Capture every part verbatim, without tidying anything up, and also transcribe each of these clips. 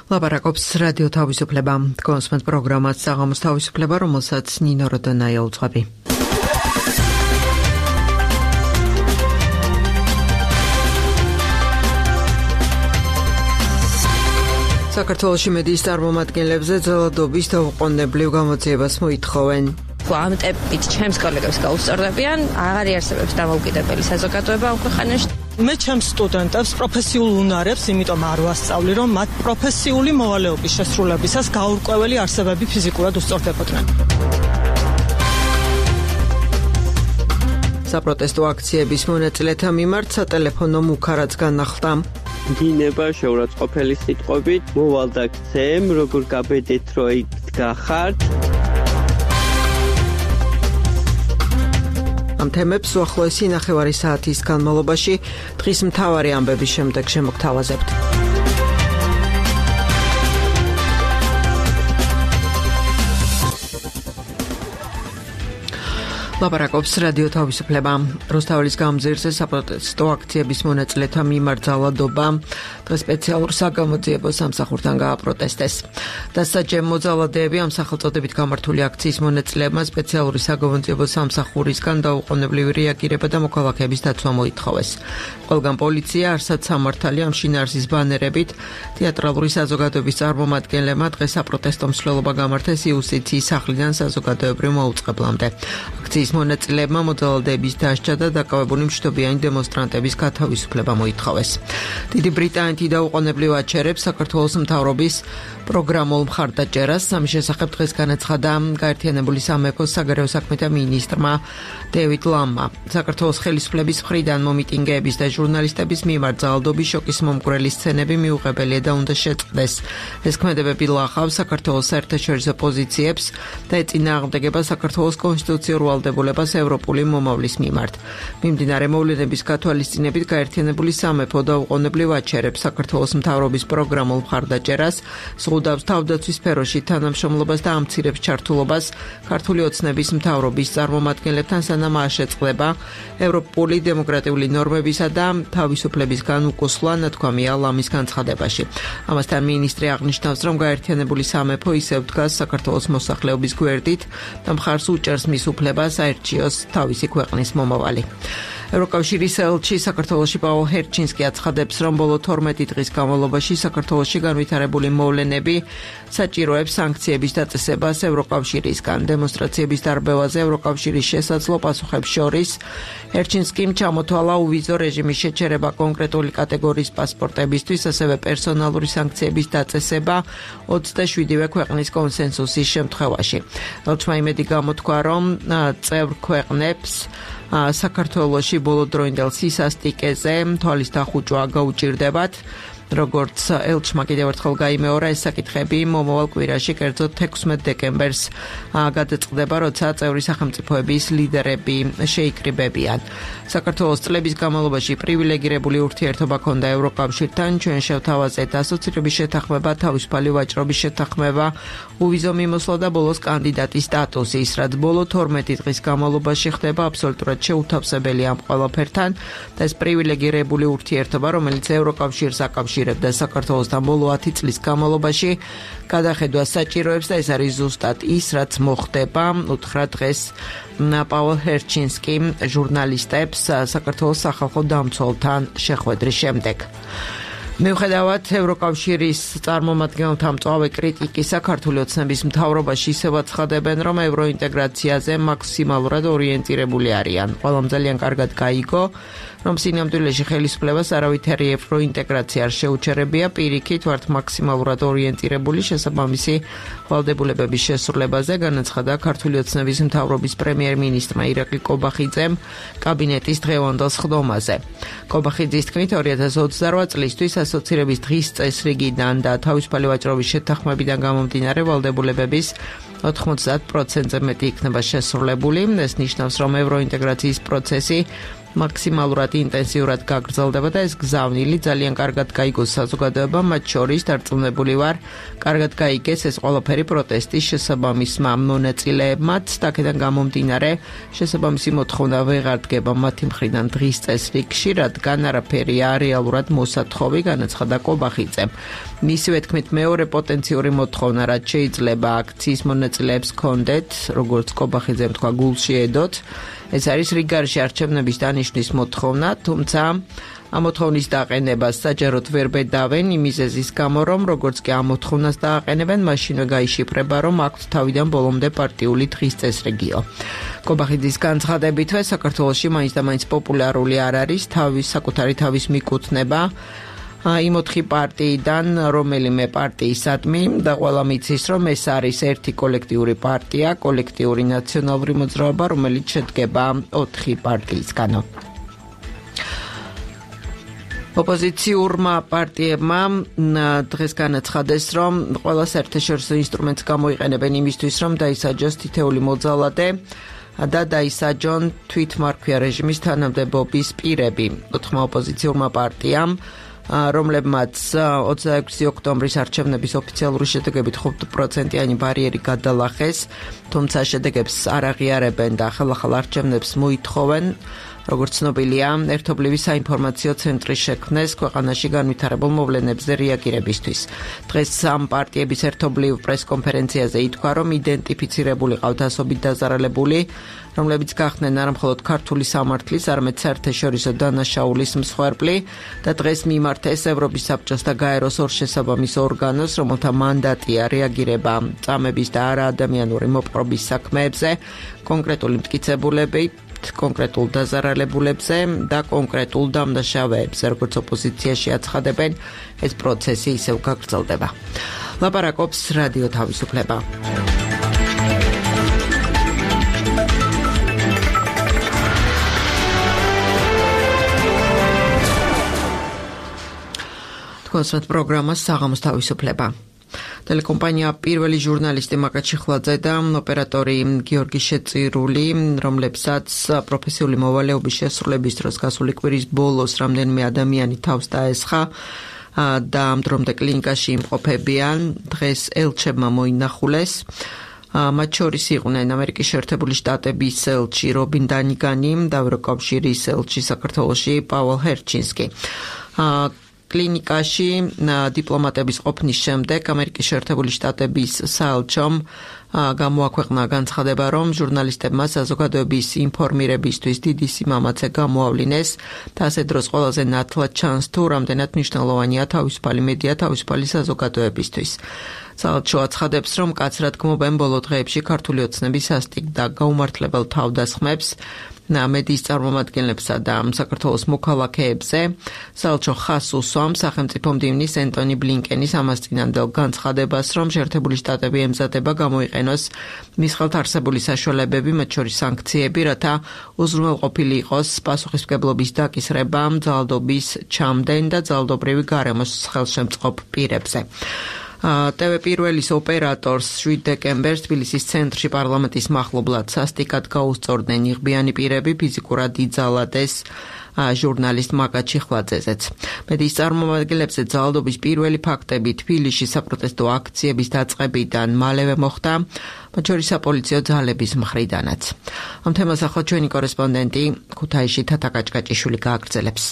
ლაპარაკობს რადიო თავისუფლება. კონსმენთ პროგრამას საღამოს თავისუფლება, რომელსაც ნინო როდონაია უძღვები. საქართველოში მედიის წარმომადგენლებზე ძალადობის დაუყოვნებლივ გამოძიებას მოითხოვენ. ამ ტემპით ჩემს კოლეგებს გაუსწორდებიან, აღარ იარსებებს დამოუკიდებელი საზოგადოება ამ ქვეყანაში. მე ჩემს სტუდენტებს პროფესიულ უნარებს, იმიტომ არ ვასწავლი, რომ მათ პროფესიული მოვალეობის შესრულებისას გაურკვეველი არსებები ფიზიკურად უსწორდებოდნენ. საპროტესტო აქციების მონაწილეთა მიმართ სატელეფონო მუქარაც განახლდა. დინება შეურაცხყოფელი სიტყვებით, მოვალ და გცემ, როგორ გაბედეთ, რომ იქ გახართ. ამ თემებს უახლოესი ნახევარი საათის განმავლობაში დღის მთავარი ამბების შემდეგ შემოგთავაზებთ. ლაპარაკობს რადიო თავისუფლება. რუსთაველის გამზირზე საპროტესტო აქციების მონაწილეთა მიმართ ძალადობა დღეს სპეციალურ საგამოძიებო სამსახურთან გააპროტესტეს. დასაჯემ მოძალადეები ამ სახელწოდებით გამართული აქციის მონაწილეებმა სპეციალური საგამოძიებო სამსახურისგან დაუყოვნებლივი რეაგირება და მოქალაქეების დაცვა მოითხოვეს. ყველგან პოლიცია, არსად სამართალი ამ შინაარსის ბანერებით თეატრალური საზოგადოების წარმომადგენლებმა დღეს საპროტესტო მსვლელობა გამართეს იუსტიციის სახლიდან საზოგადოებრივ მოუწყებლამდე. აქციის მონაწილეებმა მოძალადეების დასჯა და დაკავებული მშვიდობიანი დემონსტრანტების გათავისუფლება მოითხოვეს. დიდი ბრიტანეთი დაუყოვნებლივ აჩერებს საქართველოს მთავრობის პროგრამულ მხარდაჭერას. ამის შესახებ დღეს განაცხადა გაერთიანებული სამეფოს საგარეო საქმეთა მინისტრმა დევიდ ლამმა. საქართველოს ხელისუფლების მხრიდან მომიტინგეების და ჟურნალისტების მიმართ ძალადობის შოკის მომგვრელი სცენები მიუღებელია და უნდა შეწყდეს. ეს ქმედებები ლახავს საქართველოს საერთაშორისო პოზიციებს და ეწინააღმდეგება საქართველოს კონსტიტუციურ ვალდებულებას ევროპული მომავლის მიმართ. მიმდინარე მოვლენების გათვალისწინებით გაერთიანებული სამეფო დაუყოვნებლივ აჩერებს საქართველოს მთავრობის პროგრამულ მხარდაჭერას, ზღუდავს თავდაცვის სფეროში თანამშრომლობას და ამცირებს ჩართულობას ქართული ოცნების მთავრობის წარმომადგენლებთან, სანამ არ შეწყდება ევროპული დემოკრატიული ნორმებისა და თავისუფლებისგან უკუსვლა, ნათქვამია ლამის განცხადებაში. ამასთან მინისტრი აღნიშნავს, რომ გაერთიანებული სამეფო ისევ დგას საქართველოს მოსახლეობის გვერდით და მხარს უჭერს მის უფლებას აერჩიოს თავისი ქვეყნის მომავალი. ევროკავშირის ელჩი საქართველოში პაულ ჰერჩინსკი აცხადებს, რომ ბოლო თორმეტი დღის განმავლობაში საქართველოში განვითარებული მოვლენები საჭიროებს სანქციების დაწესებას ევროკავშირისგან. დემონსტრაციების დარბევაზე ევროკავშირის შესაძლო პასუხებს შორის ჰერჩინსკიმ ჩამოთვალა უვიზო რეჟიმის შეჩერება კონკრეტული კატეგორიის პასპორტებისთვის, ასევე პერსონალური სანქციების დაწესება ოცდაშვიდივე ქვეყნის კონსენსუსის შემთხვევაში. ელჩმა იმედი გამოთქვა, რომ წევრ ქვეყნებს საქართველოში ბოლოდროინდელ სისასტიკეზე თვალის დახუჭვა გაუჭირდებათ. როგორც ელჩმა კიდევ ერთხელ გაიმეორა, ეს საკითხები მომავალ კვირაში, კერძოდ ექვსმეტ დეკემბერს გადაწყდება, როცა წევრი სახელმწიფოების ლიდერები შეიკრიბებიან. საქართველოს წლების განმავლობაში პრივილეგირებული ურთიერთობა ჰქონდა ევროკავშირთან, ჩვენ შევთავაზეთ ასოცირების შეთანხმება, თავისუფალი ვაჭრობის შეთანხმება, უვიზო მიმოსვლა და ბოლოს კანდიდატის სტატუსი, ის რაც ბოლო თორმეტი დღის განმავლობაში ხდება, აბსოლუტურად შეუთავსებელია ამ ყველაფერთან და ეს პრივილეგირებული ურთიერთობა, რომელიც ევროკავშირს აკავშირებდა საქართველოსთან ბოლო ათი წლის განმავლობაში, გადახედვას საჭიროებს და ეს არის ზუსტად ის, რაც მოხდება, უთხრა დღეს პაულ ჰერჩინსკიმ ჟურნალისტებს საქართველოს სახალხო დამცველთან შეხვედრის შემდეგ. მიუხედავად ევროკავშირის წარმომადგენელთა მწვავე კრიტიკისა, ქართული ოცნების მთავრობაში ისევ აცხადებენ, რომ ევროინტეგრაციაზე მაქსიმალურად ორიენტირებული არიან. ყველამ ძალიან კარგად გაიგო, რომ სინამდვილეში ხელისუფლებას არავითარი ევროინტეგრაცია არ შეუჩერებია, პირიქით ვართ მაქსიმალურად ორიენტირებული შესაბამისი ვალდებულებების შესრულებაზე, განაცხადა ქართული ოცნების მთავრობის პრემიერ-მინისტრმა ირაკლი კობახიძემ კაბინეტის დღევანდელ სხდომაზე. კობახიძის თქმით, ორი ათას ოცდარვა წლისთვის ასოცირების დღის წესრიგიდან და თავისუფალი ვაჭრობის შეთანხმებიდან გამომდინარე ვალდებულებების ოთხმოცდაათ პროცენტზე მეტი იქნება შესრულებული. ეს ნიშნავს, რომ ევროინტეგრაციის პროცესი მაქსიმალურად ინტენსიურად გაგრძელდება და ეს გზავნილი ძალიან კარგად გაიგოს საზოგადოებამ, მათ შორის დარწმუნებული ვარ, კარგად გაიგეს ეს ყველაფერი პროტესტის შესაბამისმა მონაწილეებმაც და აქედან გამომდინარე შესაბამისი მოთხოვნა ვეღარ დგება მათი მხრიდან დღის წესრიგში, რადგან არაფერი რეალურად მოსათხოვი, განაცხადა კობახიძემ. მისივე თქმით, მეორე პოტენციური მოთხოვნა, რაც შეიძლება აქციის მონაწილეებს ჰქონდეთ, როგორც კობახიძემ თქვა, გულში ედოთ, ეს არის რიგარში არჩევნების დანიშვნის მოთხოვნა, თუმცა ამ მოთხოვნის დაყენებას საჯაროდ ვერ ბედავენ იმ მიზეზის გამო, რომ როგორც კი ამ მოთხოვნას დააყენებენ, მაშინვე გაიშიფრება, რომ აქვთ თავიდან ბოლომდე პარტიული დღის წესრიგიო. კობახიძის განცხადებითვე საქართველოში მაინც და მაინც პოპულარული არ არის თავის საკუთარი თავის მიკუთვნება იმ ოთხი პარტიიდან რომელიმე პარტიისადმი და ყველა მიცის, რომ ეს არის ერთი კოლექტიური პარტია, კოლექტიური ნაციონალური მოძრაობა, რომელიც შედგება ოთხი პარტიისგანო. ოპოზიციურმა პარტიებმა დღეს განაცხადეს, რომ ყველა საერთაშორისო ინსტრუმენტს გამოიყენებენ იმისთვის, რომ დაისაჯოს თითეული მოძალადე და დაისაჯონ თვითმარქვია რეჟიმის თანამდებობის პირები. ოთხმა ოპოზიციურმა პარტიამ, რომლებმაც ოცდაექვსი ოქტომბრის არჩევნების ოფიციალური შედეგებით ხუთ პროცენტიანი ბარიერი გადალახეს, თუმცა შედეგებს არ აღიარებენ და ახალ-ახალ არჩევნებს მოითხოვენ. როგორც ცნობილია, ერთობლივი საინფორმაციო ცენტრი შექმნეს ქვეყანაში განვითარებულ მოვლენებზე რეაგირებისთვის. დღეს ამ პარტიების ერთობლივ პრესკონფერენციაზე ითქვა, რომ იდენტიფიცირებული ყავთ ასობით დაზარალებული, რომლებიც გახდნენ არა მხოლოდ ქართული სამართლის, არამედ საერთაშორისო დანაშაულის მსხვერპლი და დღეს მიმართეს ევროპის საბჭოს და გაეროს ორ შესაბამის ორგანოს, რომელთა მანდატია რეაგირება წამების და არაადამიანური მოპყრობის საქმეებზე, კონკრეტული მტკიცებულები კონკრეტულ დაზარალებულებზე და კონკრეტულ დამნაშავეებზე, როგორც ოპოზიციაში აცხადებენ, ეს პროცესი ისევ გაგრძელდება. ლაპარაკობს რადიო თავისუფლება. თქვენს პროგრამას საღამოს თავისუფლება. ტელეკომპანია პირველი ჟურნალისტი მაკა ჩიხლაძე და ოპერატორი გიორგი შეწირული, რომლებსაც პროფესიული მოვალეობის შესრულების დროს გასული კვირის ბოლოს რამდენიმე ადამიანი თავს დაესხა და ამ დრომდე კლინიკაში იმყოფებიან, დღეს ელჩებმა მოინახულეს. მათ შორის იყვნენ ამერიკის შეერთებული შტატების ელჩი რობინ დანიგანი და ევროკავშირის ელჩი საქართველოში პაველ ჰერჩინსკი. კლინიკაში დიპლომატების ყოფნის შემდეგ ამერიკის შეერთებული შტატების საელჩომ გამოაქვეყნა განცხადება, რომ ჟურნალისტებმა საზოგადოების ინფორმირებისთვის დიდი სიმამაცე გამოავლინეს და ასე დროს ყველაზე ნათლად ჩანს თუ რამდენად მნიშვნელოვანია თავისუფალი მედია თავისუფალი საზოგადოებისთვის. საელჩო აცხადებს, რომ კაცრად გმობენ ბოლო დღეებში ქართული ოცნების სასტიკ და გაუმართლებელ თავდასხმებს მედიის წარმომადგენლებსა და საქართველოს მოქალაქეებზე. საელჩო ხაზს უსვამს სახელმწიფო მდივნის ენტონი ბლინკენის ამას წინანდელ განცხადებას, რომ შეერთებული შტატები ემზადება გამოიყენოს მის ხელთ არსებული საშუალებები, მათ შორის სანქციები, რათა უზრუნველყოფილი იყოს პასუხისმგებლობის დაკისრება ძალადობის ჩამდენ და ძალადობრივი გარემოს ხელშემწყობ პირებზე. ტევ პირველის ოპერატორს შვიდ დეკემბერს თბილისის ცენტრში პარლამენტის მახლობლად სასტიკად გაუსწორდნენ იღბიანი პირები, ფიზიკურად იძალადეს ჟურნალისტ მაკა ჩიხლაძეზეც. მედიის წარმომადგენლებზე ძალადობის პირველი ფაქტები თბილისში საპროტესტო აქციების დაწყებიდან მალევე მოხდა, მათ შორის საპოლიციო ძალების მხრიდანაც. ამ თემას ახლა ჩვენი კორესპონდენტი ქუთაისში თათა კაჭკაჭიშვილი გააგრძელებს.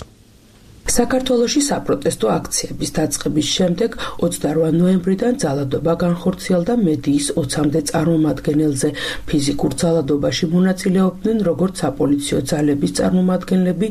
საქართველოში საპროტესტო აქციების დაწყების შემდეგ ოცდარვა ნოემბრიდან ძალადობა განხორციელდა მედიის ოცამდე წარმომადგენელზე. ფიზიკურ ძალადობაში მონაწილეობდნენ როგორც საპოლიციო ძალების წარმომადგენლები,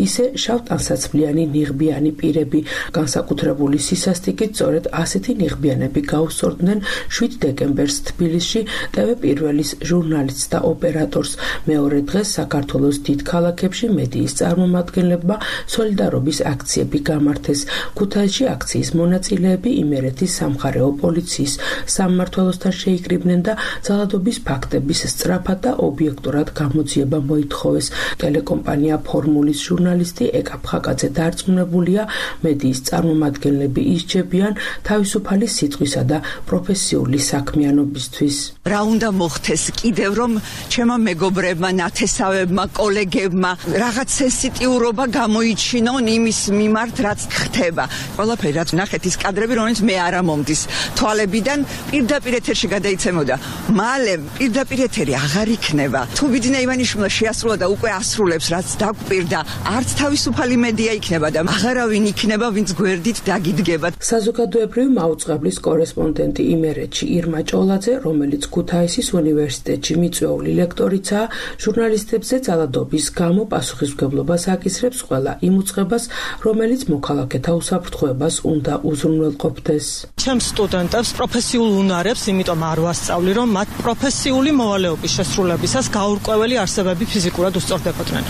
ისე შავტანსაცმლიანი ნიღბიანი პირები. განსაკუთრებული სისასტიკით სწორედ ასეთი ნიღბიანები გაუსწორდნენ შვიდ დეკემბერს თბილისში ტევ პირველის ჟურნალისტს და ოპერატორს. მეორე დღეს საქართველოს დიდ ქალაქებში მედიის წარმომადგენლებმა სოლიდარობის აქციები გამართეს. ქუთაისში აქციის მონაწილეები იმერეთის სამხარეო პოლიციის სამმართველოსთან შეიკრიბნენ და ძალადობის ფაქტების სწრაფად და ობიექტურად გამოძიება მოითხოვეს. ტელეკომპანია ფორმულის ჟურნალისტი ეკა ფხაკაძე დარწმუნებულია, მედიის წარმომადგენლები ისჯებიან თავისუფალი სიტყვისა და პროფესიული საქმიანობისთვის. რა უნდა მოხდეს კიდევ, რომ ჩემო მეგობრებმა, ნათესავებმა, კოლეგებმა რაღაც სენსიტიურობა გამოიჩინონ იმის მიმართ, რაც ხდება. ყველაფერი რაც ნახეთ ის კადრები, რომელიც მე არ ამომდის თვალებიდან, პირდაპირ ეთერში გადაიცემოდა. მალე პირდაპირ ეთერი აღარ იქნება. თუ ბიძინა ივანიშვილმა შეასრულა და უკვე ასრულებს, რაც დაგვპირდა, არც თავისუფალი მედია იქნება და აღარავინ იქნება, ვინც გვერდით დაგიდგება. საზოგადოებრივი მაუწყებლის კორესპონდენტი იმერეთში ირმა ჭოლაძე, რომელიც ქუთაისის უნივერსიტეტში მიწვეული ლექტორიცაა, ჟურნალისტებზე ძალადობის გამო პასუხისმგებლობას აკისრებს ყველა იმ უწყებას, რომელიც მოქალაქეთა უსაფრთხოებას უნდა უზრუნველყოფდეს. ჩემს სტუდენტებს პროფესიულ უნარებს, იმიტომ არ ვასწავლი, რომ მათ პროფესიული მოვალეობის შესრულებისას გაურკვეველი არსებები ფიზიკურად უსწორდებოდნენ.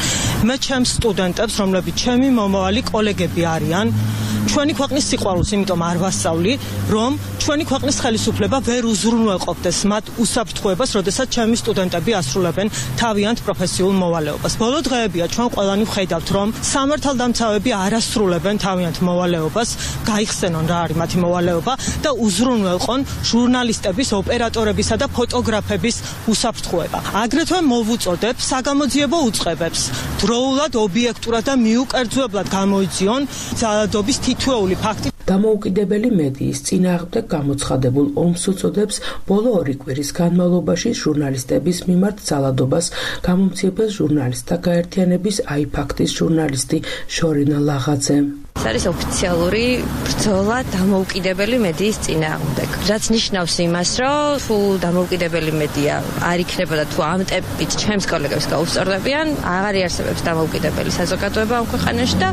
მე ჩემს სტუდენტებს, რომლებიც ჩემი მომავალი კოლეგები არიან, ჩვენი ქვეყნის სიყვარულს, იმიტომ არ ვასწავლი, რომ ჩვენი ქვეყნის ხელისუფლება ვერ უზრუნველყოფდეს მათ უსაფრთხოებას, როდესაც ჩემი სტუდენტები ასრულებენ თავიანთ პროფესიულ მოვალეობას. ბოლო დღეებია ჩვენ ყველანი ვხედავთ, რომ სამართალდამცავები არ ასრულებენ თავიანთ მოვალეობას, გაიხსენონ რა არის მათი მოვალეობა და უზრუნველყონ ჟურნალისტების, ოპერატორებისა და ფოტოგრაფების უსაფრთხოება. აგრეთვე მოვუწოდებ საგამოძიებო უწყებებს დროულად, ობიექტურად და მიუკერძოებლად გამოიძიონ ძალადობის თითოეული ფაქტი. დამოუკიდებელი მედიის წინააღმდეგ გამოცხადებულ ომს უწოდებს ბოლო ორი კვირის განმავლობაში ჟურნალისტების მიმართ ძალადობას გამომცემელ ჟურნალისტთა გაერთიანების აიფაქტის ჟურნალისტი შორინა ლაღაძე. ეს არის ოფიციალური ბრძოლა დამოუკიდებელი მედიის წინააღმდეგ. რაც ნიშნავს იმას, რომ თუ დამოუკიდებელი მედია არ იქნება და თუ ამ ტემპით ჩემს კოლეგებს გაუსწორდებიან, აღარ იარსებებს დამოუკიდებელი საზოგადოება ამ ქვეყანაში და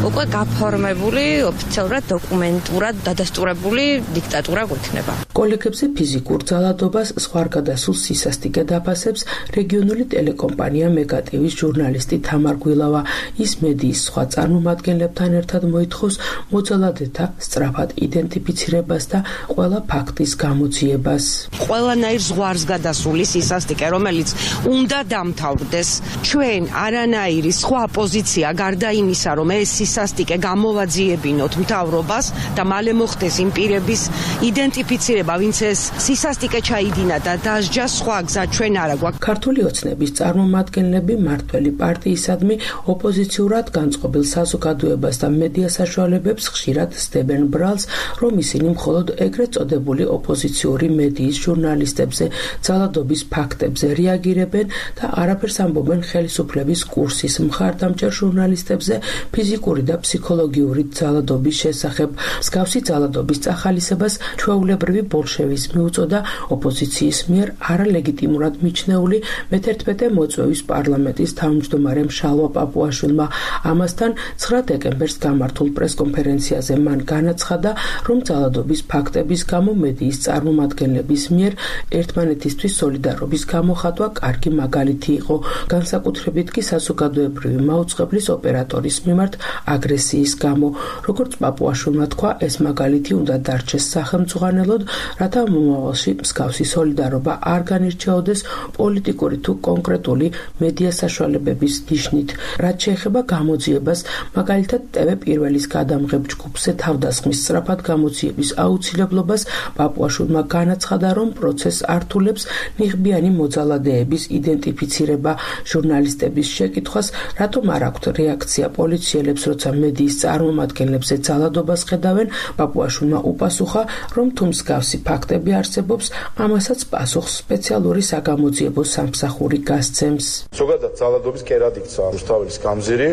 უკვე გაფორმებული ოფიციალურად დოკუმენტურად დადასტურებული დიქტატურა გვექნება. კოლეგებზე ფიზიკურ ძალადობას ზღვარგადასულ სისასტიკედ აფასებს რეგიონული ტელეკომპანია მეგატივის ჟურნალისტი თამარ გვილავა. ის მედიის სხვა წარმომადგენლებთან ერთად მოითხოვს მოძალადეთა სწრაფად იდენტიფიცირებას და ყველა ფაქტის გამოძიებას. ყველანაირ ზღვარს გადასული სისასტიკე, რომელიც უნდა დამთავრდეს, ჩვენ არანაირი სხვა პოზიცია გარდა იმისა, რომ ეს სისასტიკე გამოვაძიებინოთ მთავრობას და მალე მოხდეს იმ პირების იდენტიფიცირება, ვინც ეს სისასტიკე ჩაიდინა და დასჯა, სხვა გზა ჩვენ არა გვაქვს. ქართული ოცნების წარმომადგენლები მართველი პარტიისადმი ოპოზიციურად განწყობილ საზოგადოებას და მედია საშუალებებს ხშირად სდებენ ბრალს, რომ ისინი მხოლოდ ეგრეთ წოდებული ოპოზიციური მედიის ჟურნალისტებზე ძალადობის ფაქტებზე რეაგირებენ და არაფერს ამბობენ ხელისუფლების კურსის მხარდამჭერ ჟურნალისტებზე ფიზიკური და ფსიქოლოგიური ძალადობის შესახებ. მსგავსი ძალადობის წახალისებას ჩვეულებრივი ბოლშევიზმი უწოდა ოპოზიციის მიერ არალეგიტიმურად მიჩნეული მეთერთმეტე მოწვევის პარლამენტის თავმჯდომარემ შალვა პაპუაშვილმა. ამასთან ცხრა დეკემბერს გამართულ პრესკონფერენციაზე მან განაცხადა, რომ ძალადობის ფაქტების გამო მედიის წარმომადგენლების მიერ ერთმანეთისთვის სოლიდარობის გამოხატვა კარგი მაგალითი იყო, განსაკუთრებით კი საზოგადოებრივი მაუწყებლის ოპერატორის მიმართ აგრესიის გამო. როგორც პაპუაშვილმა თქვა, ეს მაგალითი უნდა დარჩეს სახელმწუხანელოდ, რათა მომავალში მსგავსი სოლიდარობა არ განირჩეოდეს პოლიტიკური თუ კონკრეტული მედია საშუალებების ნიშნით. რაც შეეხება გამოძიებას, მაგალითად ტევ პირველის გადამღებ ჯგუფზე თავდასხმის სწრაფად გამოძიების აუცილებლობას, პაპუაშვილმა განაცხადა, რომ პროცესს ართულებს ნიღბიანი მოძალადეების იდენტიფიცირება. ჟურნალისტების შეკითხვას, რატომ არ აქვთ რეაქცია პოლიციელებს, როცა მედიის წარმომადგენლებზე ძალადობას ხედავენ, პაპუაშვილმა უპასუხა, რომ თუ მსგავსი ფაქტები არსებობს, ამასაც პასუხს სპეციალური საგამოძიებო სამსახური გასცემს. ზოგადად ძალადობის კერად იქცა რუსთაველის გამზირი,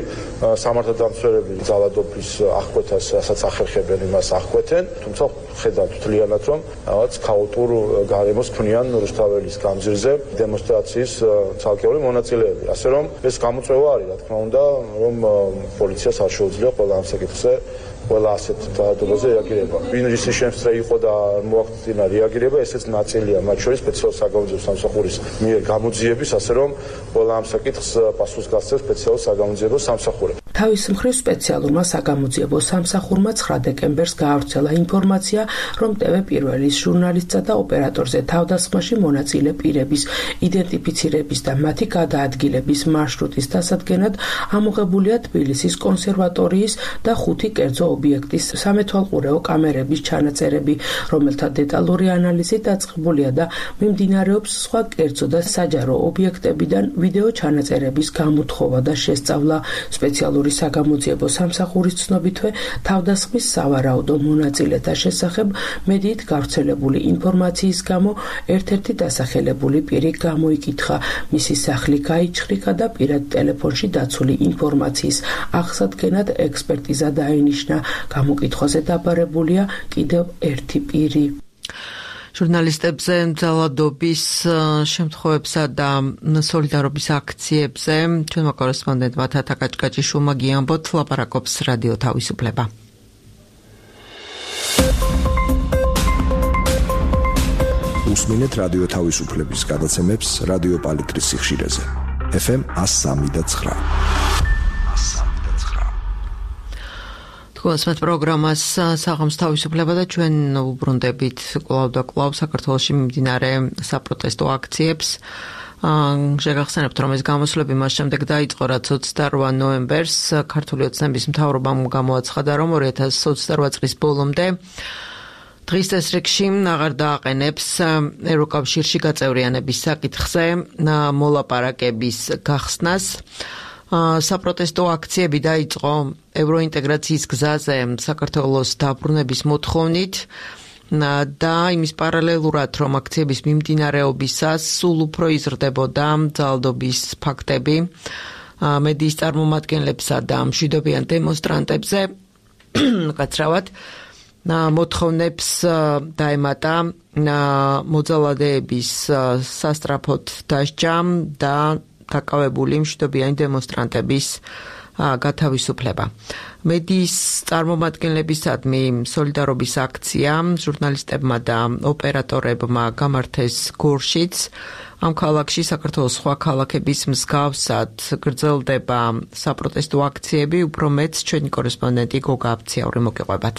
სამართალდამცველები ძალადობის აღკვეთას, რასაც ახერხებენ, იმას აღკვეთენ, თუმცა ხედავთ თლიანად, რომ რაღაც ქაოტურ გარემოს ქმნიან რუსთაველის გამზირზე დემონსტრაციის ცალკეული მონაწილეები. ასე რომ ეს გამოწვევა არის, რა თქმა უნდა, რომ პოლიციას არ შეუძლია ყველა ამ საკითხზე ყველა ასეთ ძალადობაზე რეაგირება. ვინ ისი შემსწრე იყო და მოახდინა რეაგირება, ესეც ნაწილია მათ შორის სპეციალურ საგამოძიებო სამსახურის მიერ გამოძიების, ასე რომ ყველა ამ საკითხს პასუხს გასცემს სპეციალურ საგამოძიებო სამსახური. თავის მხრივ სპეციალურმა საგამოძიებო სამსახურმა ცხრა დეკემბერს გაავრცელა ინფორმაცია, რომ ტევ პირველის ჟურნალისტსა და ოპერატორზე თავდასხმაში მონაწილე პირების იდენტიფიცირების და მათი გადაადგილების მარშრუტის დასადგენად ამოღებულია თბილისის კონსერვატორიის და ხუთი კერძო ობიექტის სამეთვალყურეო კამერების ჩანაწერები, რომელთა დეტალური ანალიზი დაწყებულია და მიმდინარეობს სხვა კერძო და საჯარო ობიექტებიდან ვიდეო ჩანაწერების გამოთხოვა და შესწავლა. სპეციალური საგამოძიებო სამსახურის ცნობითვე თავდასხმის სავარაუდო მონაწილეთა შესახებ მედიით გავრცელებული ინფორმაციის გამო ერთ-ერთი დასახელებული პირი გამოიკითხა, მისი სახლი გაიჩხრიკა და პირად ტელეფონში დაცული ინფორმაციის აღსადგენად ექსპერტიზა დაინიშნა. გამოკითხვაზე დაბარებულია კიდევ ერთი პირი. ჟურნალისტებზე ძალადობის შემთხვევებსა და სოლიდარობის აქციებზე ჩვენმა კორესპონდენტმა თათა კაჭკაჭიშვილმა გიამბოთ, ლაპარაკობს რადიო თავისუფლება. უსმინეთ რადიო თავისუფლების გადაცემებს რადიო პალიტრის სიხშირეზე. ეფ ემ one oh three და nine. თქვენს პროგრამას საღამოს თავისუფლება და ჩვენ უბრუნდებით კვლავ და კვლავ საქართველოში მიმდინარე საპროტესტო აქციებს. შეგახსენებთ, რომ ეს გამოსვლები მას შემდეგ დაიწყო, რაც ოცდაორ ნოემბერს ქართული ოცნების მთავრობამ გამოაცხადა, რომ ორი ათას ოცდარვა წლის ბოლომდე დღის წესრიგში აღარ დააყენებს ევროკავშირში გაწევრიანების საკითხზე მოლაპარაკების გახსნას. საპროტესტო აქციები დაიწყო ევროინტეგრაციის გზაზე საქართველოს დაბრუნების მოთხოვნით და იმის პარალელურად, რომ აქციების მიმდინარეობისას სულ უფრო იზრდებოდა ძალადობის ფაქტები მედიის წარმომადგენლებსა და მშვიდობიან დემონსტრანტებზე, კაცრავად მოთხოვნებს დაემატა მოძალადეების სასტრაფოდ დასჯა და დაკავებული მშვიდობიანი დემონსტრანტების გათავისუფლება. მედიის წარმომადგენლებისადმი სოლიდარობის აქცია ჟურნალისტებმა და ოპერატორებმა გამართეს გორშიც. ამ ქალაქში საქართველოს სხვა ქალაქების მსგავსად გრძელდება საპროტესტო აქციები, უფრო მეც ჩვენი კორესპონდენტი გოგა აბციაური მოგიყვებათ.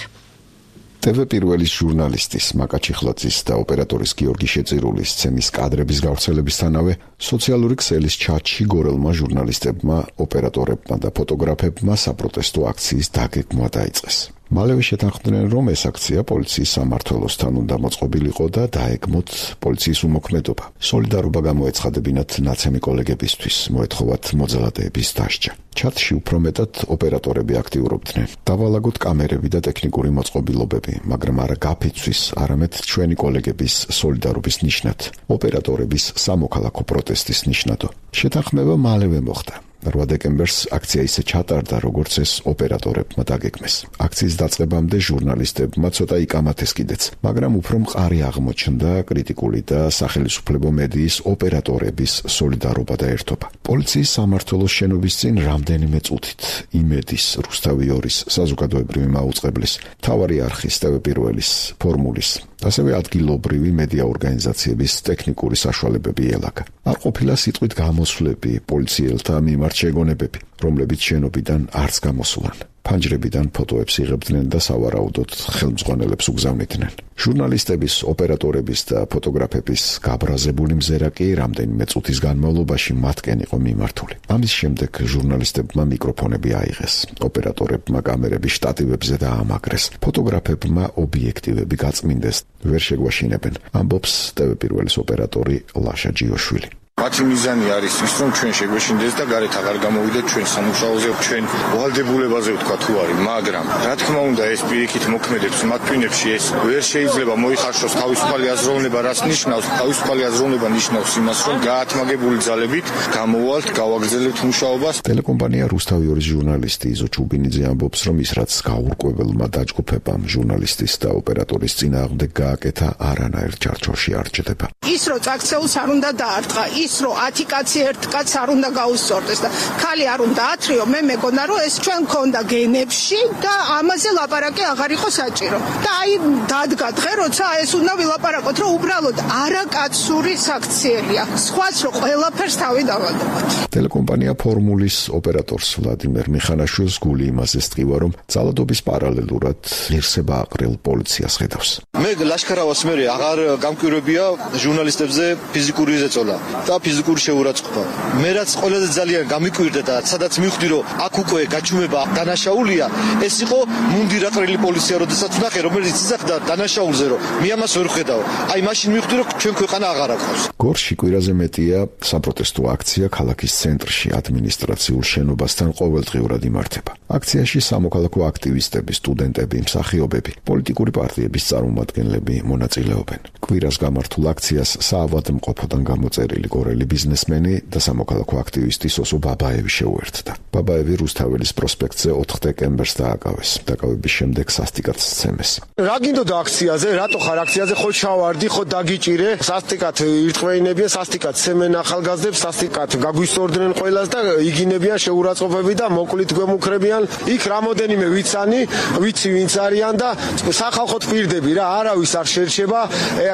ტევ პირველის ჟურნალისტის მაკა ჩიხლაძის და ოპერატორის გიორგი შეწირულის სცენის კადრების გავრცელებისთანავე სოციალური ქსელის ჩატში გორელმა ჟურნალისტებმა, ოპერატორებმა და ფოტოგრაფებმა საპროტესტო აქციის დაგეგმვა დაიწყეს. მალევე შეთანხმდნენ, რომ ეს აქცია პოლიციის სამმართველოსთან უნდა მოწყობილიყო და დაეგმოთ პოლიციის უმოქმედობა. სოლიდარობა გამოეცხადებინათ ნაცემი კოლეგებისთვის, მოეთხოვათ მოძალადეების დასჯა. ჩატში უფრო მეტად ოპერატორები აქტიურობდნენ. დავალაგოთ კამერები და ტექნიკური მოწყობილობები, მაგრამ არა გაფიცვის, არამედ ჩვენი კოლეგების სოლიდარობის ნიშნად, ოპერატორების სამოქალაქო პროტესტის ნიშნადო. შეთანხმება მალევე მოხდა. რვა დეკემბერს აქცია ისე ჩატარდა, როგორც ეს ოპერატორებმა დაგეგმეს. აქციის დაწყებამდე ჟურნალისტებმა ცოტა იკამათეს კიდეც, მაგრამ უფრო მყარი აღმოჩნდა კრიტიკული და სახელმწიფო მედიის ოპერატორების სოლიდარობა და ერთობა. პოლიციის სამმართველოს შენობის წინ რამდენიმე წუთით იმედის, რუსთავი ორის, საზოგადოებრივი მაუწყებლის, მთავარი არხის, ტევ პირველის, ფორმულის, ასევე ადგილობრივი მედია ორგანიზაციების ტექნიკური საშუალებები ელაგა. არ ყოფილა სიტყვით გამოსვლები, პოლიციელთა მიმართ შეგონებები, რომლებიც შენობიდან არც გამოსულან. ფანჯრებიდან ფოტოებს იღებდნენ და სავარაუდოდ ხელმძღვანელებს უგზავნიდნენ. ჟურნალისტების, ოპერატორების და ფოტოგრაფების გაბრაზებული მზერა კი რამდენიმე წუთის განმავლობაში მათკენ იყო მიმართული. ამის შემდეგ ჟურნალისტებმა მიკროფონები აიღეს, ოპერატორებმა კამერები შტატივებზე დაამაგრეს, ფოტოგრაფებმა ობიექტივები გაწმინდეს, ვერ შეგვაშინებენ, ამბობს ტევ პირველის ოპერატორი ლაშა ჯიოშვილი. მათი მიზანი არის ის, რომ ჩვენ შეგვეშინდეს და გარეთ აღარ გამოვიდეთ ჩვენ სამუშაოზე, ჩვენ ვალდებულებაზე ვთქვა თუ არის, მაგრამ რა თქმა უნდა ეს პირიქით მოქმედებს მათ ტვინებში, ეს ვერ შეიძლება მოიხარშოს თავისუფალი აზროვნება, რაც ნიშნავს, თავისუფალი აზროვნება ნიშნავს იმას, რომ გაათმაგებული ძალებით გამოვალთ, გავაგრძელებთ მუშაობას. ტელეკომპანია რუსთავი ორის ჟურნალისტი იზო ჩუბინიძე ამბობს, რომ ის რაც გაურკვეველმა დაჯგუფებამ ჟურნალისტის და ოპერატორის წინააღმდეგ გააკეთა, არანაირ ჩარჩოში არ ჭდება. ის რომ წაქცეულს არ უნდა დაარტყა, ის ის რომ ათი კაცი ერთ კაცს არ უნდა გაუსწორდეს და ხალი არ უნდა ათრიო, მე მეგონა რომ ეს ჩვენ გქონდა გენებში და ამაზე ლაპარაკი აღარ იყო საჭირო. და აი დადგა დღე, როცა ეს უნდა ვილაპარაკოთ, რომ უბრალოდ არაკაცური საქციელია. სხვაც რომ ყველაფერს თავი დავადობთ. ტელეკომპანია ფორმულის ოპერატორს ვლადიმერ მიხანაშვილს გული იმაზე სტყივა, რომ ძალადობის პარალელურად ღირსება აყრილ პოლიციას ხედავს. მე ლაშქარავას მე აღარ გამკვირვებია ჟურნალისტებზე ფიზიკური ზეწოლა და ფიზიკური შეურაცხყოფა. მე რაც ყველაზე ძალიან გამიკვირდა და სადაც მივხვდი რომ აქ უკვე გაჩუმება დანაშაულია, ეს იყო მუნდირ აყრილი პოლიცია, როდესაც ვნახე რომელიც იზახდა დანაშაულზე, რომ მე ამას ვერ ხედავ. აი მაშინ მივხვდი რომ ჩვენ ქვეყანა აღარ აქვს. გორში კვირაზე მეტია საპროტესტო აქცია ქალაქის ცენტრში ადმინისტრაციულ შენობასთან ყოველდღიურად იმართება. აქციაში სამოქალაქო აქტივისტები, სტუდენტები, მსახიობები, პოლიტიკური პარტიების წარმომადგენლები მონაწილეობენ. კვირას გამართულ აქციას საავადმყოფოდან გამოწერილი გორელი ბიზნესმენი და სამოქალაქო აქტივისტი სოსო ბაბაევი შეუერთდა. ბაბაევი რუსთაველის პროსპექტზე ოთხ დეკემბერს დააკავეს. დაკავების შემდეგ სასტიკად სცემეს. რა გინდოდა აქციაზე? რატო ხარ აქციაზე? ხო ჩავარდი, ხო დაგიჭირე? სასტიკად ირტყმეინებიან, სასტიკად სცემენ ახალგაზრდებს, სასტიკად გაგვისწორდნენ ყველას და იგინებიან შეურაცხყოფები და მოკლით გვემუქრებიან. იქ რამოდენიმე ვიცანი, ვიცი ვინც არიან და სახალხოდ პირდები რა, არავის არ შერჩება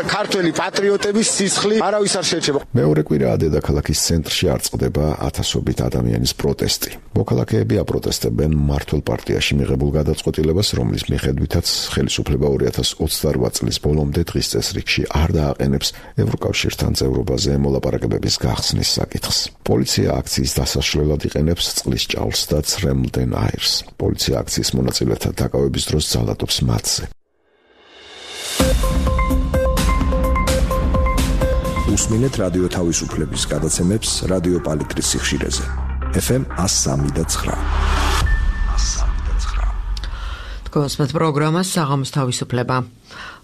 ქართველი პატრიოტების სისხლი, არავის არ შერჩება. მეორე კვირაა დედაქალაქის ცენტრში არ წყდება ათასობით ადამიანის პროტესტი. მოქალაქეები აპროტესტებენ მმართველ პარტიაში მიღებულ გადაწყვეტილებას, რომლის მიხედვითაც ხელისუფლება ორი ათას ოცდაოთხ წლის ბოლომდე დღის წესრიგში არ დააყენებს ევროკავშირთან წევრობაზე მოლაპარაკებების გახსნის საკითხს. პოლიცია აქციის დასაშლელად იყენებს წყლის ჭაულს და ცრემლდენ აირს. პოლიცია აქციის მონაწილეთა დაკავების დროს ძალადობს მათზე. უსმინეთ რადიო თავისუფლების გადაცემებს რადიო პალიტრის სიხშირეზე. ეფ ემ one oh three point nine. გოსმეთ პროგრამას საღამოს თავისუფლება.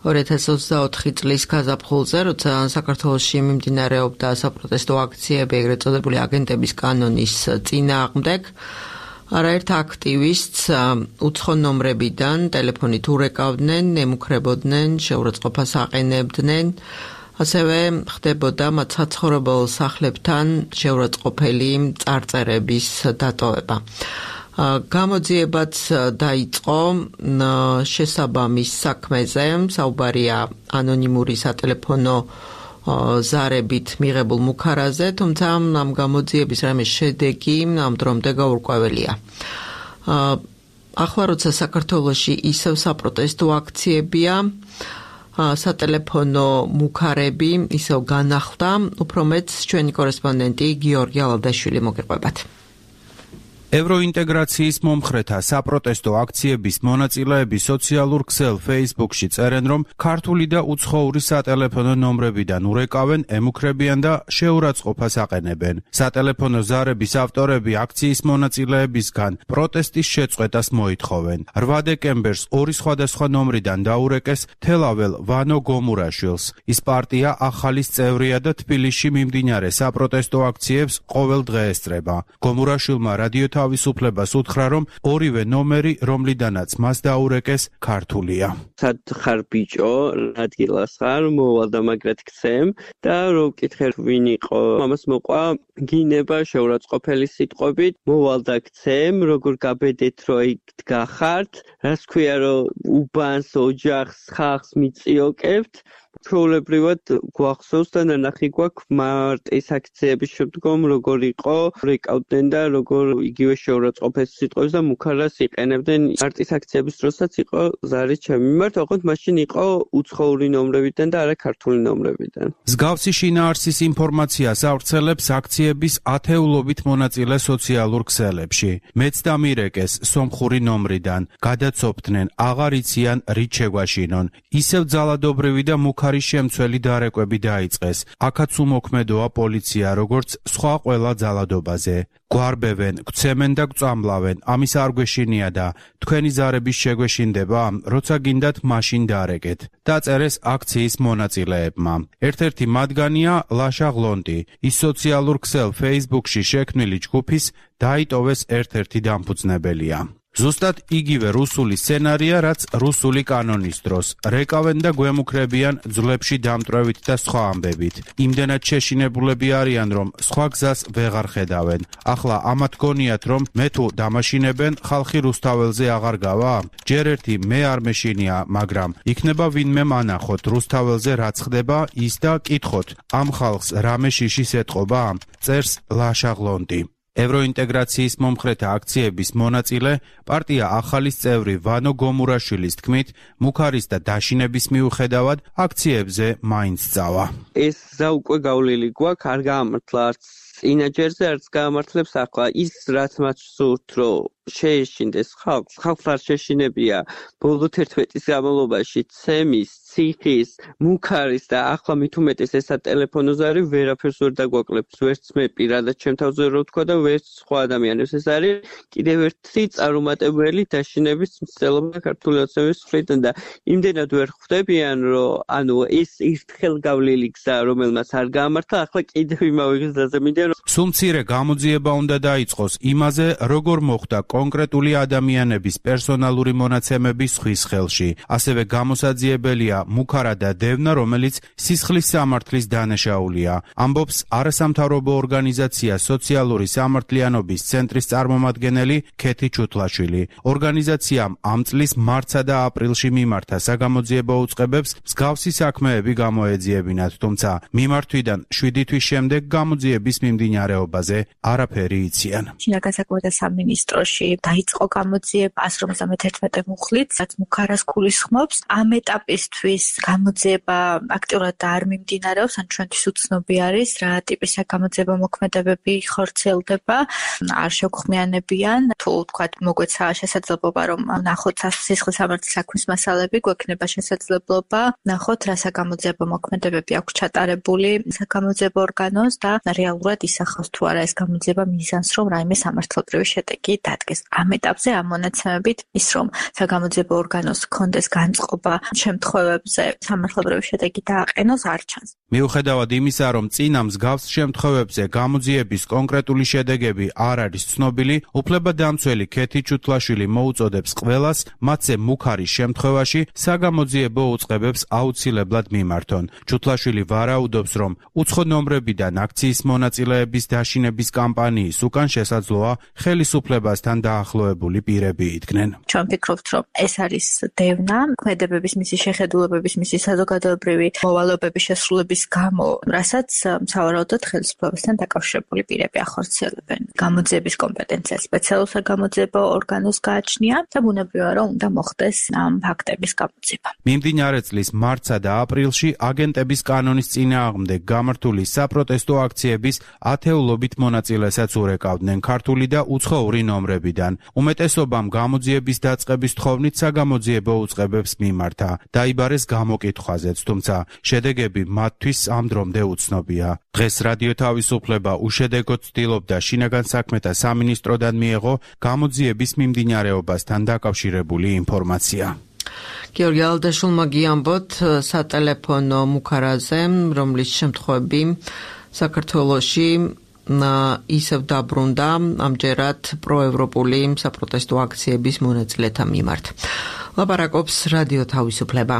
ორი ათას ოცდაოთხი წლის გაზაფხულზე, როცა საქართველოში მიმდინარეობდა საპროტესტო აქციები ეგრეთ წოდებული აგენტების კანონის წინააღმდეგ, არაერთ აქტივისტს უცხო ნომრებიდან ტელეფონით ურეკავდნენ, ემუქრებოდნენ, შეურაცხყოფას აყენებდნენ. ასევე ხდებოდა მათ საცხოვრებელ სახლებთან შეურაცხყოფელი წარწერების დატოვება. გამოძიებაც დაიწყო შესაბამის საქმეზე, საუბარია ანონიმური სატელეფონო ზარებით მიღებულ მუქარაზე, თუმცა ამ გამოძიების რამე შედეგი ამ დრომდე გაურკვეველია. ახლა როცა საქართველოში ისევ საპროტესტო აქციებია, სატელეფონო მუქარები ისევ განახლდა, უფრო მეც ჩვენი კორესპონდენტი გიორგი ალადაშვილი მოგიყვებათ. ევროინტეგრაციის მომხრეთა საპროტესტო აქციების მონაწილეები სოციალურ ქსელ Facebook-ში წერენ, რომ ქართული და უცხოური სატელეფონო ნომრებიდან ურეკავენ, ემუქრებიან და შეურაცხყოფას აყენებენ. სატელეფონო ზარების ავტორები აქციის მონაწილეებისგან პროტესტის შეწყვეტას მოითხოვენ. რვა დეკემბერს ორი სხვადასხვა ნომრიდან დაურეკეს თელაվել ვანო გომურაშვილს. ის პარტია ახალის წევრია და თბილისში მიმდინარე საპროტესტო აქციებს ყოველ დღე ესწრება. გომურაშვილმა რადიო თავისუფლებას უთხრა, რომ ორივე ნომერი, რომლიდანაც მას დაურეკეს, ქართულია. სად ხარ ბიჭო, ადგილას ხარ, მოვალ და მაგრად გცემ და რო ვკითხე ვინ იყო, ამას მოყვა გინება შეურაცხყოფელი სიტყვებით, მოვალ და გცემ, როგორ გაბედეთ რომ იქ დგახართ, რას ქვია რომ უბანს, ოჯახს, ხალხს მიწიოკებთ. ჩვეულებრივად გვახსოვს და ნანახი გვაქვს მარტის აქციების შემდგომ როგორ იყო, რეკავდნენ და როგორ იგივე შეურაცხყოფეს სიტყვებს და მუქარას იყენებდნენ. მარტის აქციების დროსაც იყო ზარი ჩემი მიმართ, ოღონდ მაშინ იყო უცხოური ნომრებიდან და არა ქართული ნომრებიდან. მსგავსი შინაარსის ინფორმაციას ავრცელებს აქციების ათეულობით მონაწილე სოციალურ ქსელებში. მეც დამირეკეს სომხური ნომრიდან, გადაცოფდნენ, აღარ იციან რით შეგვაშინონ. ისევ ძალადობრივი და მუქარი შემცველი დარეკვები დაიწყეს. აქაც უმოქმედოა პოლიცია, როგორც სხვა ყველა ძალადობაზე. გვარბევენ, გვცემენ და გვწამლავენ, ამის არ გვეშინია და თქვენი ზარების შეგვეშინდება, როცა გინდათ მაშინ დარეკეთ. დაწერეს აქციის მონაწილეებმა. ერთ-ერთი მათგანია ლაშა ღლონტი. ის სოციალურ ქსელ Facebook-ში შექმნილი ჯგუფის დაიტოვეს ერთ-ერთი დამფუძნებელია. ზუსტად იგივე რუსული სცენარია, რაც რუსული კანონის დროს. რეკავენ და გვემუქრებიან ძვლებში დამტვრევით და სხვა ამბებით. იმდენად შეშინებულები არიან, რომ სხვა გზას ვეღარ ხედავენ. ახლა ამათ გონიათ, რომ მე თუ დამაშინებენ, ხალხი რუსთაველზე აღარ გავა? ჯერ ერთი მე არ მეშინია, მაგრამ იქნება ვინმე მანახოთ რუსთაველზე რაც ხდება, ის და კითხოთ, ამ ხალხს რამე შიშის ეტყობა? წერს ლაშაღლონტი. ევროინტეგრაციის მომხრეთა აქციების მონაწილე, პარტია ახალის წევრი ვანო გომურაშვილის თქმით, მუქარის და დაშინების მიუხედავად აქციებზე მაინც წავა. ეს გზა უკვე გავლილი გვაქვს, არ გაამართლა არც წინაჯერზე, არც გაამართლებს ახლა. ის რაც მათ სურთ, რომ შეეშინდეს ხალხს, ხალხს არ შეშინებია ბოლო თერთმეტი წლის განმავლობაში ცემის, ციხის, მუქარის და ახლა მით უმეტეს ესა ტელეფონოზე არის, ვერაფერს ვერ დაგვაკლებს, ვერც მე პირადად ჩემ თავზე რო ვთქვა და ვერც სხვა ადამიანებს. ეს არის კიდევ ერთი წარუმატებელი დაშინების მცდელობა ქართული ოცნების მხრიდან და იმდენად ვერ ხვდებიან, რომ ანუ ეს ერთხელ გავლილი გზა, რომელმაც არ გაამართლა, ახლა კიდევ იმავე გზაზე მინდა რომ სულ მცირე გამოძიება უნდა დაიწყოს იმაზე, როგორ მოხდა კონკრეტული ადამიანების პერსონალური მონაცემების ხვის ხელში. ასევე გამოსაძიებელია მუქარა და დევნა, რომელიც სისხლის სამართლის დანაშაულია. ამბობს არასამთავრობო ორგანიზაცია სოციალური სამართლიანობის ცენტრის წარმომადგენელი ქეთი ჩუთლაშვილი. ორგანიზაციამ ამ წლის მარტსა და აპრილში მიმართა საგამოძიებო უწყებებს მსგავსი საქმეები გამოეძიებინათ, თუმცა მიმართვიდან შვიდი თვის შემდეგ გამოძიების მიმდინარეობაზე არაფერი იციან. შინაგან საქმეთა სამინისტროში დაიწყო გამოძიება ას ორმოცდამეთერთმეტე მუხლით, რაც მუქარას გულისხმობს. ამ ეტაპისთვის გამოძიება აქტიურად არ მიმდინარეობს, ან ჩვენთვის უცნობი არის, რა ტიპის გამოძიება მოქმედებები ხორციელდება, არ შეგხმიანებიან. თუ თქვათ მოგვეცა შესაძლებლობა, რომ ნახოთ სისხლის სამართლის საქმის მასალები, გვექნება შესაძლებლობა ნახოთ, რა საგამოძიებო მოქმედებები აქვს ჩატარებული საგამოძიებო ორგანოს და რეალურად ისახავს თუ არა ეს გამოძიება მიზანს, რომ რაიმე სამართლებრივი შედეგი დადგეს. ამ ეტაპზე ამ მონაცემებით ის, რომ საგამოძიებო ორგანოს ჰქონდეს განწყობა შემთხვევებზე სამართლებრივი შედეგი დააყენოს, არ ჩანს. მიუხედავად იმისა, რომ წინა მსგავს შემთხვევებზე გამოძიების კონკრეტული შედეგები არ არის ცნობილი, უფლებადამცველი ქეთი ჩუთლაშვილი მოუწოდებს ყველას, მათზე მუქარის შემთხვევაში საგამოძიებო უწყებებს აუცილებლად მიმართონ. ჩუთლაშვილი ვარაუდობს, რომ უცხო ნომრებიდან აქციის მონაწილეების დაშინების კამპანიის უკან შესაძლოა ხელისუფლებასთან დაახლოებული პირები იდგნენ. ჩვენ ვფიქრობთ, რომ ეს არის დევნა, ქმედებების მისი შეხედულებების, მისი საზოგადოებრივი მოვალეობების შესრულების გამო, რასაც სავარაუდოდ ხელისუფლებასთან დაკავშირებული პირები ახორციელებენ. გამოძიების კომპეტენცია სპეციალურ საგამოძიებო ორგანოს გააჩნია და ბუნებრივია, რომ უნდა მოხდეს ამ ფაქტების გამოძიება. მიმდინარე წლის მარტსა და აპრილში აგენტების კანონის წინააღმდეგ გამართული საპროტესტო აქციების ათეულობით მონაწილესაც ურეკავდნენ ქართული და უცხოური ნომრებიდან. უმეტესობამ გამოძიების დაწყების თხოვნით საგამოძიებო უწყებებს მიმართა. დაიბარეს გამოკითხვაზეც, თუმცა შედეგები მათთვის ამ დრომდე უცნობია. დღეს რადიო თავისუფლება უშედეგოდ ცდილობდა შინაგან საქმეთა სამინისტროდან მიეღო გამოძიების მიმდინარეობასთან დაკავშირებული ინფორმაცია. გიორგი ალდაშულმა გიამბოთ სატელეფონო მუქარაზე, რომლის შემთხვევები საქართველოში ისევ დაბრუნდა ამჯერად პროევროპული საპროტესტო აქციების მონაწილეთა მიმართ. ლაპარაკობს რადიო თავისუფლება.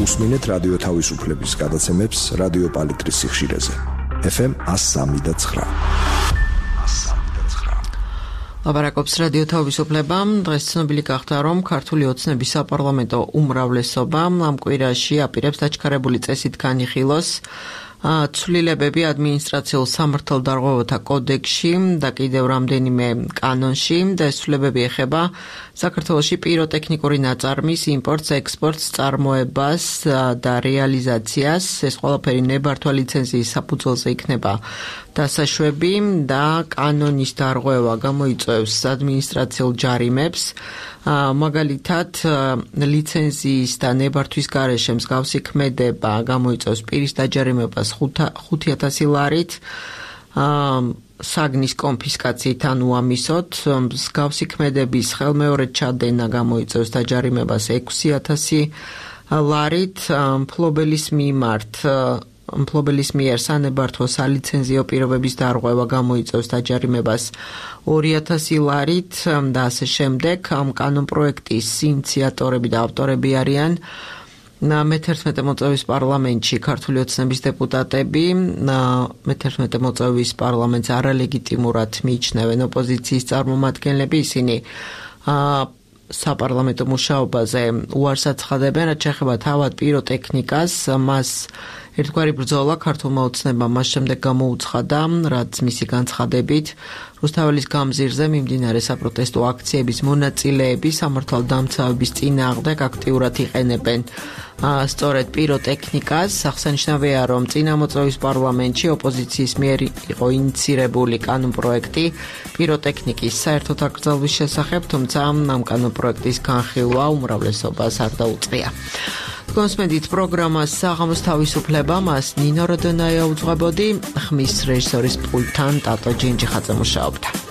უსმინეთ რადიო თავისუფლების გადაცემებს რადიო პალიტრის სიხშირეზე. ეფ ემ one oh three point nine. ლაპარაკობს რადიო თავისუფლება. დღეს ცნობილი გახდა, რომ ქართული ოცნების საპარლამენტო უმრავლესობა ამ კვირაში აპირებს დაჩქარებული წესით განიხილოს ცვლილებები ადმინისტრაციულ სამართალდარღვევათა კოდექსში და კიდევ რამდენიმე კანონში და ეს ცვლილებები ეხება საქართველოში პიროტექნიკური ნაწარმის იმპორტს, ექსპორტს, წარმოებას და რეალიზაციას. ეს ყველაფერი ნებართვა ლიცენზიის საფუძველზე იქნება დასაშვები და კანონის დარღვევა გამოიწვევს ადმინისტრაციულ ჯარიმებს. მაგალითად, ლიცენზიის და ნებართვის გარეშე მსგავსი ქმედება გამოიწვევს პირის დაჯარიმებას ხუთი ათასი ლარით, საგნის კონფისკაციით ან უამისოდ, მსგავსი ქმედების ხელმეორედ ჩადენა გამოიწვევს დაჯარიმებას ექვსი ათასი ლარით, მფლობელის მიმართ მფლობელის მიერ სანებართვო სალიცენზიო პირობების დარღვევა გამოიწვევს დაჯარიმებას ორი ათასი ლარით და ასე შემდეგ. ამ კანონპროექტის ინიციატორები და ავტორები არიან მეთერთმეტე მოწვევის პარლამენტში ქართული ოცნების დეპუტატები. მეთერთმეტე მოწვევის პარლამენტს არალეგიტიმურად მიიჩნევენ ოპოზიციის წარმომადგენლები. ისინი საპარლამენტო მუშაობაზე უარს აცხადებენ, რაც შეეხება თავად პიროტექნიკას. მას ერთგვარი ბრძოლა ქართულმა ოცნებამ მას შემდეგ გამოუცხადა, რაც მისი განცხადებით რუსთაველის გამზირზე მიმდინარე საპროტესტო აქციების მონაწილეები სამართალდამცავების წინააღმდეგ აქტიურად იყენებენ სწორედ პიროტექნიკას. აღსანიშნავია, რომ წინამოწვევის პარლამენტში ოპოზიციის მიერ იყო ინიცირებული კანონპროექტი პიროტექნიკის საერთოდ აკრძალვის შესახებ, თუმცა ამ კანონპროექტის განხილვა უმრავლესობას არ დაუწყია. კონსმედით პროგრამას საღამოს თავისუფლება, მას ნინო როდონაია უძღვებოდი, ხმის რეჟისორის პულტთან ტატო ჯინჯიხაძე მუშაობდა.